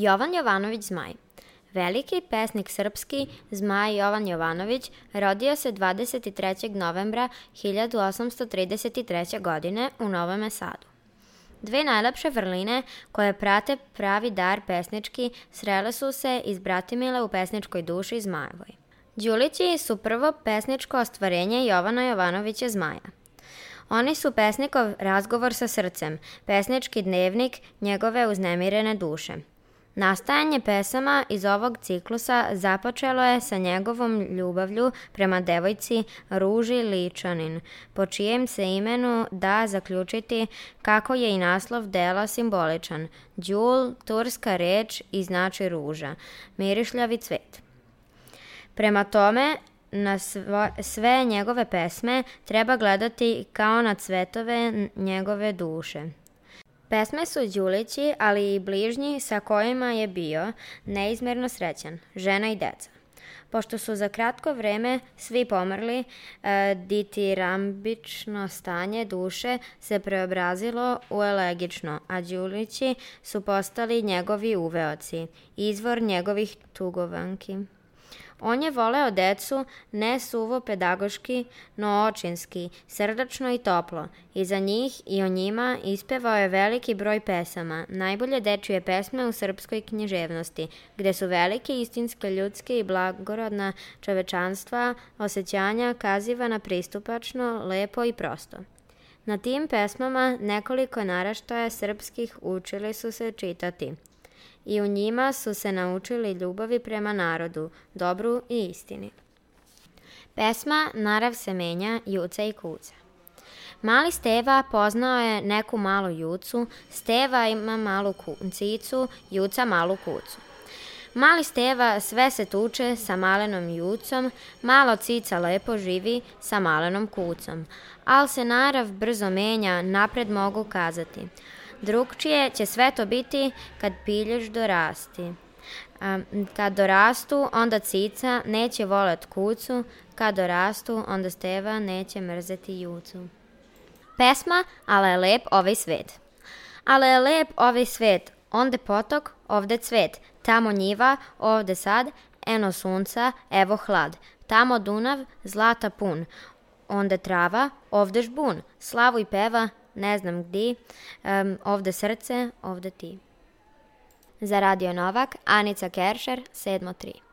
Jovan Jovanović Zmaj. Veliki pesnik srpski Zmaj Jovan Jovanović rodio se 23. novembra 1833. godine u Novom Sadu. Dve najlepše vrline koje prate pravi dar pesnički srele su se iz bratimile u pesničkoj duši Zmajevoj. Đulići su prvo pesničko ostvarenje Jovana Jovanovića Zmaja. Oni su pesnikov razgovor sa srcem, pesnički dnevnik njegove uznemirene duše. Nastajanje pesama iz ovog ciklusa započelo je sa njegovom ljubavlju prema devojci Ruži Ličanin, po čijem se imenu da zaključiti kako je i naslov dela simboličan. Đul, turska reč i znači ruža, mirišljavi cvet. Prema tome, na sve njegove pesme treba gledati kao na cvetove njegove duše. Pesme su Đulići, ali i bližnji sa kojima je bio neizmerno srećan, žena i deca. Pošto su za kratko vreme svi pomrli, ditirambično stanje duše se preobrazilo u elegično, a Đulići su postali njegovi uveoci, izvor njegovih tugovanki. On je voleo decu ne suvo pedagoški, no očinski, srdačno i toplo. I za njih i o njima ispevao je veliki broj pesama, najbolje dečije pesme u srpskoj književnosti, gde su velike istinske ljudske i blagorodna čovečanstva, osjećanja kazivana pristupačno, lepo i prosto. Na tim pesmama nekoliko naraštaja srpskih učili su se čitati. I u njima su se naučili ljubavi prema narodu, dobru i istini. Pesma Narav se menja, juca i kuca. Mali Steva poznao je neku malu jucu, Steva ima malu cicu, juca malu kucu. Mali Steva sve se tuče sa malenom jucom, malo cica lepo živi sa malenom kucom. Al se narav brzo menja, napred mogu kazati. Drugčije će sve to biti kad pilješ dorasti. Kad dorastu, onda cica neće volet kucu, kad dorastu, onda Steva neće mrzeti jucu. Pesma Ale je lep ovaj svet. Ale je lep ovaj svet, onde potok, ovde cvet, tamo njiva, ovde sad, eno sunca, evo hlad, tamo Dunav, zlata pun, onde trava, ovde žbun, slavuj peva, ne znam gdje, ovde srce, ovde ti. Za Radio Novak, Anica Keršer, 7.3.